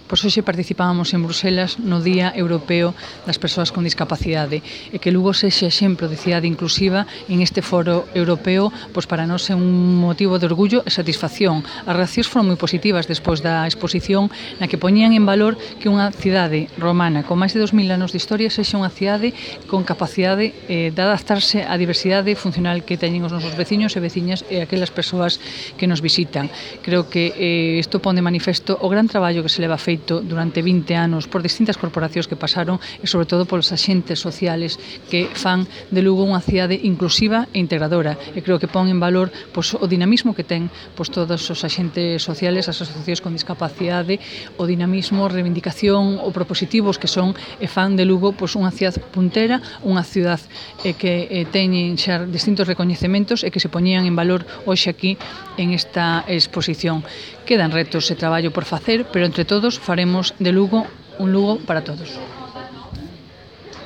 Pois hoxe participábamos en Bruselas no Día Europeo das Persoas con Discapacidade e que Lugo sexe exemplo de cidade inclusiva en este foro europeo, pois para nós é un motivo de orgullo e satisfacción. As reaccións foron moi positivas despois da exposición na que poñían en valor que unha cidade romana con máis de 2000 anos de historia sexa unha cidade con capacidade de adaptarse á diversidade funcional que teñen os nosos veciños e veciñas e aquelas persoas que nos visitan. Creo que isto pon de manifesto o gran traballo que se leva feito durante 20 anos por distintas corporacións que pasaron e sobre todo polos axentes sociales que fan de Lugo unha cidade inclusiva e integradora e creo que pon en valor pois, o dinamismo que ten pois, todos os axentes sociales, as asociacións con discapacidade, o dinamismo, reivindicación ou propositivos que son e fan de Lugo pois, unha cidade puntera, unha cidade que teñen xa distintos recoñecementos e que se poñían en valor hoxe aquí en esta exposición. Quedan retos e traballo por facer, pero entre todos faremos de Lugo un Lugo para todos.